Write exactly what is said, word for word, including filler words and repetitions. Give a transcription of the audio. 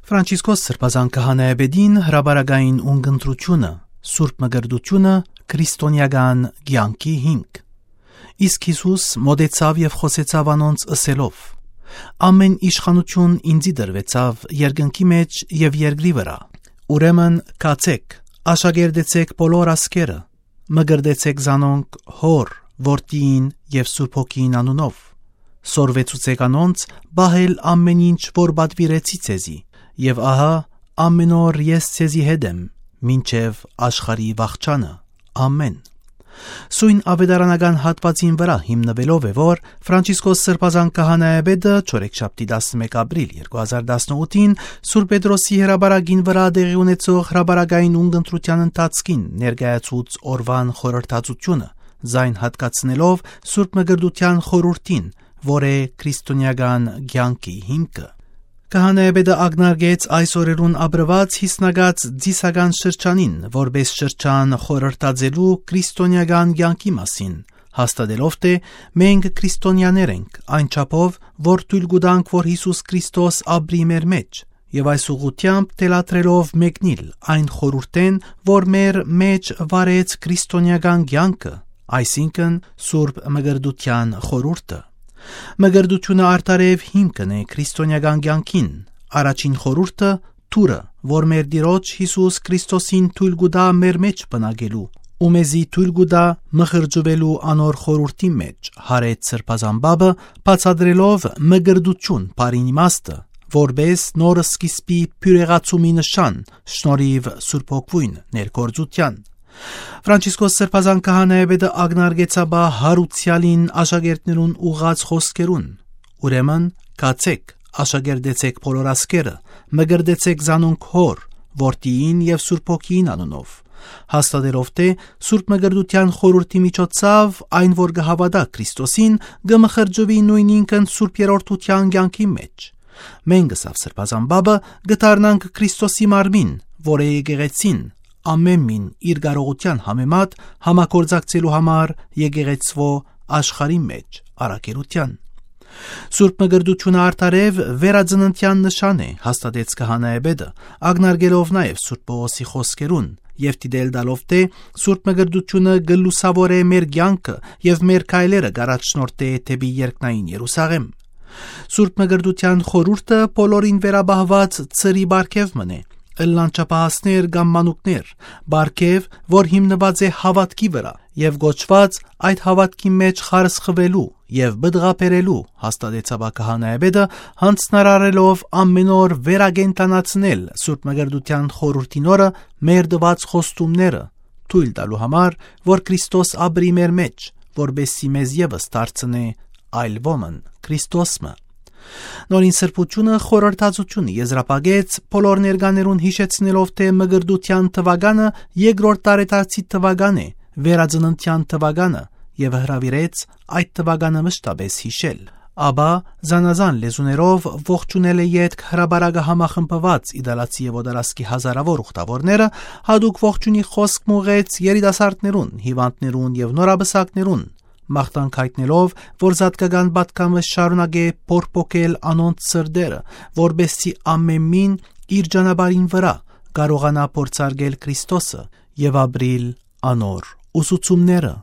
Ֆրանցիսկոս Սրբազան Քահանայապետին հրապարակային ունգընտրութիւնը, Սուրբ Մկրտութիւնը, քրիստոնեական կեանքի հիմք։ Իսկ Յիսուս մօտեցաւ եւ խօսեցաւ անոնց, ըսելով. «Ամէն իշխանութիւն ինծի տրուեցաւ երկնքի մէջ եւ երկրի վրայ։ Ուրեմն գացէք, աշակերտեցէք բոլոր ազգերը, մկրտեցէք զանոնք Հօր, Որդիին եւ Սուրբ Հոգիին անունով։ Սորվեցուցէք անոնց պահել ամէն ինչ որ պատուիրեցի ձեզի, եւ ահա, ամէն օր ես ձեզի հետ եմ, մինչեւ աշխարհի վախճանը։ Ամէն»։ Սոյն աւետարանական հատուածին վրայ հիմնուելով է, որ Ֆրանցիսկոս Սրբազան Քահանայապետը չորեքշաբթի տասնմէկ ապրիլ երկու հազար տասնութին Սուրբ Պետրոսի հրապարակին վրայ տեղի ունեցող հրապարակային ունգընտրութեան ընթացքին ներկայացուց օրուան խորհրդածութիւնը, զայն հատկացնելով Սուրբ Մկրտութեան խորհուրդին, որ է քրիստոնեական կեանքի հիմքը։ Քահանայապետը ակնարկեց այս օրերուն ապրուած յիսնակաց ձիսական շրջանին, որպէս շրջան խորհրդածելու քրիստոնեական կեանքի մասին, հաստատելով թէ մենք քրիստոնեաներ ենք, այն չափով, որ թոյլ կու տանք, որ Յիսուս Քրիստոս ապրի մեր մէջ, եւ այս ուղղութեամբ թելադրելով մեկնիլ այն խորհուրդէն, որ մեր մէջ վարեց քրիստոնեական կեանքը, այսինքն Սուրբ Մկրտութեան խորհուրդը։ Մկրտութիւնը արդարեւ հիմքն է քրիստոնեական կեանքին։ Առաջին խորհուրդը թուրը, որ մեր Տիրոջ Յիսուս Քրիստոսին թոյլ կու տայ մեր մէջ բնակելու, ու մեզի թոյլ կու տայ մխրճուելու անոր խորհուրդի մէջ, յարեց Սրբազան Պապը, բացատրելով մկրտութիւն բառին իմաստը, որպէս նոր սկիզբի բիւրեղացումի նշան, շնորհիւ Սուրբ Հոգւոյն ներգործութեան։ Ֆրանցիսկոս Սրբազան Քահանայապետը ակնարկեց ապա յարուցեալին աշակերտներուն ուղղած խօսքերուն. «Ուրեմն, գացէք, աշակերտեցէք բոլոր ազգերը, մկրտեցէք զանոնք Հօր, Որդիին եւ Սուրբ Հոգիին անունով», հաստատելով թէ Սուրբ Մկրտութեան խորհուրդի միջոցաւ այն որ կը հաւատայ Քրիստոսին, կը մխրճուի նոյնինքն Սուրբ Երրորդութեան կեանքի մէջ։ «Մենք, ըսաւ Սրբազան Պապը, կը դառնանք Քրիստոսի մարմին, որ է եկեղեցին, ամէն մին իր կարողութեան համեմատ համագործակցելու համար եկեղեցւոյ աշխարհի մէջ առաքելութեան։ Սուրբ Մկրտութիւնը արդարեւ վերածննդեան նշան է», հաստատեց քահանայապետը, ակնարկելով նաեւ Սուրբ Պողոսի խօսքերուն եւ դիտել տալով թէ Սուրբ Մկրտութիւնը կը լուսաւորէ մեր կեանքը եւ մեր քայլերը կ'առաջնորդէ դէպի երկնային Երուսաղէմ։ Սուրբ Մկրտութեան խորհուրդը բոլորին վերապահուած ծրի պարգեւ մըն է, ըլլան չափահասներ կամ մանուկներ, պարգեւ, որ հիմնուած է հաւատքի վրայ եւ կոչուած այդ հաւատքի մէջ խարսխուելու եւ պտղաբերելու, հաստատեց ապա քահանայապետը, յանձնարարելով ամէն օր վերակենդանացնել Սուրբ Մկրտութեան խորհուրդին օրը մեր տուած խոստումները, թոյլ տալու համար, որ Քրիստոս ապրի մեր մէջ, որպէս զի մեզ եւս դարձնէ այլ ոմն, Քրիստոս մը։ Նորին Սրբութիւնը խորհրդածութիւնը եզրափակեց, բոլոր ներկաներուն յիշեցնելով թէ Մկրտութեան թուականը երկրորդ տարեդարձի թուական է, վերածննդեան թուականը, եւ հրաւիրեց այդ թուականը մշտապէս յիշել։ Ապա, զանազան լեզուներով ողջունել է ետք հրապարակը համախմբուած իտալացի եւ օտարասկի հազարաւոր ուխտաւորները, յատուկ ողջունի խօսք մուղեց երիտասարդներուն, հիւանդներուն եւ նորապսակներուն, մաղթանք յայտնելով, որ զատկական պատգամը շարունակէ փորփոքել անոնց սրտերը, որպէս զի ամէն մին իր ճանապարհին վրայ կարողանայ փորձարկել Քրիստոսը եւ ապրիլ անոր ուսուցումները։